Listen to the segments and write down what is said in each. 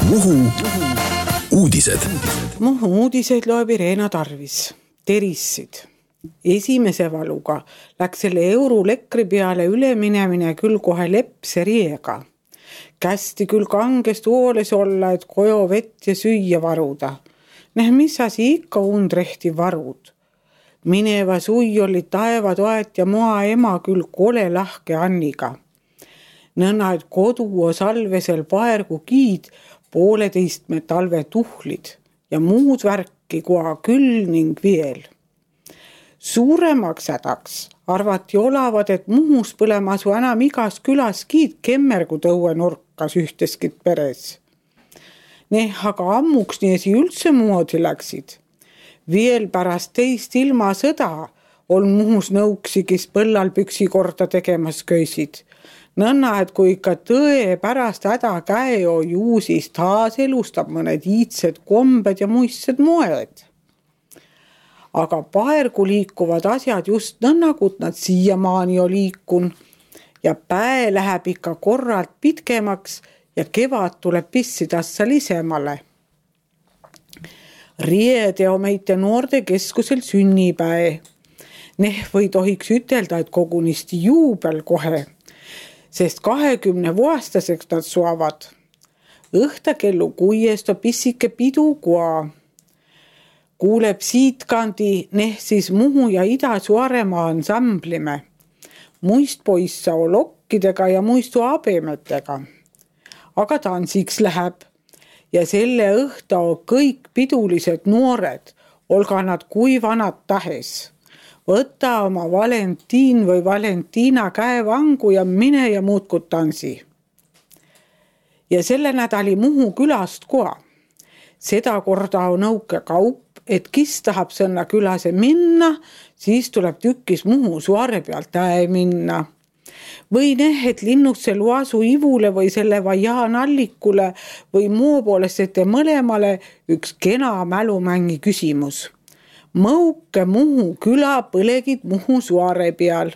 Muhu uudised. Muhu uudised loeb Irena Tarvis. Terissid. Esimese valuga läks selle eurulekri peale üleminemine küll kohe lepse riega. Kästi küll kangest hooles olla, et kojo vett ja süüa varuda. Mis asi ikka undrehti varud. Mineva sui oli taevatoet ja moa ema küll kole lahke Anniga. Nõnna, et kodu o salvesel paergu kiid 1,5 talve tuhlid ja muud värki koa küll ning veel. Suuremaks hädaks arvati olavad, et Muhus põlemasu enam igas külas kiid kemmergu tõue nurkas ühteskit peres. Aga ammuks niesi üldse moodi läksid. Veel pärast teist ilmasõda on Muhus nõuksi, kes põllal püksi korda tegemas köisid. Nõnna, et kui ikka tõe pärast häda käeo juu, siis taas elustab mõned iidsed kombed ja muistsed moed. Aga paergu liikuvad asjad just nõnnakut nad siiamaani on liikun ja päe läheb ikka korralt pitkemaks ja kevad tuleb pissidassa lisemale. Riede on meite noorte keskusel sünnipäe. Või tohiks ütelda, et kogunisti juubel kohe, sest 20-aastaseks nad suavad. Õhta kellu 6 on pissike pidu koa. Kuuleb siitkandi siis Muhu ja Ida-Suaremaa ansamblime. Muist poissa on lokkidega ja muistu abemetega. Aga tansiks läheb. Ja selle õhta on kõik pidulised noored, olga nad kui vanad tahes. Võta oma Valentiin või Valentiina käevangu ja mine ja muudku tansi. Ja selle nädali Muhu külast koa. Seda korda on nõuke kaup, et kes tahab sõnna külase minna, siis tuleb tükkis Muhu Suare pealt minna. Või et linnusse Luasu Ivule või selle Vajaan Allikule või muu poolest ette mõlemale üks kena mälumängi küsimus. Mõuke Muhu küla põlegid Muhu Suare peal.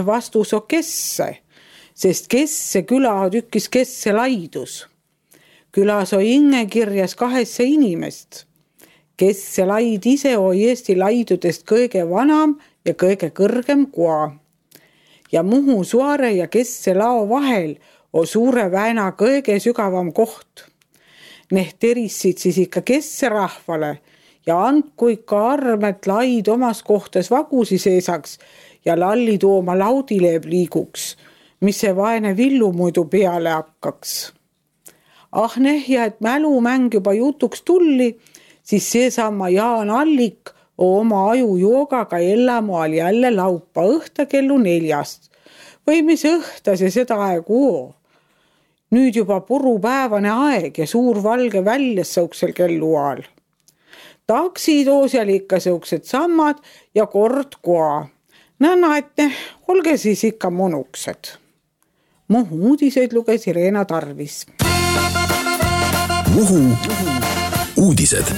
Vastus on kesse, sest kesse küla on tükkis kesse laidus. Külas on inge kirjas 2 inimest. Kesse laid ise on Eesti laidudest kõige vanam ja kõige kõrgem koa. Ja Muhu Suare ja Kesse lao vahel on Suure väena kõige sügavam koht. Terissid siis ikka Kesse rahvale ja andku ikka armet laid omas kohtas vagusi seesaks ja lalli tooma laudileeb liiguks, mis see vaene villu muidu peale hakkaks. Ja et mälumäng juba jutuks tulli, siis seesama Jaan Allik oma ajujoogaga Ellamoal jälle laupa õhta kellu 4. Või mis õhta see seda aegu on? Nüüd juba purupäevane aeg ja suur valge väljas sõuksel kelluaal. Taksidoos jäl ikka sõuksed sammad ja kord koa. Nõnna, et olge siis ikka monuksed. Muhu uudised luges Irena Tarvis. Muhu uudised.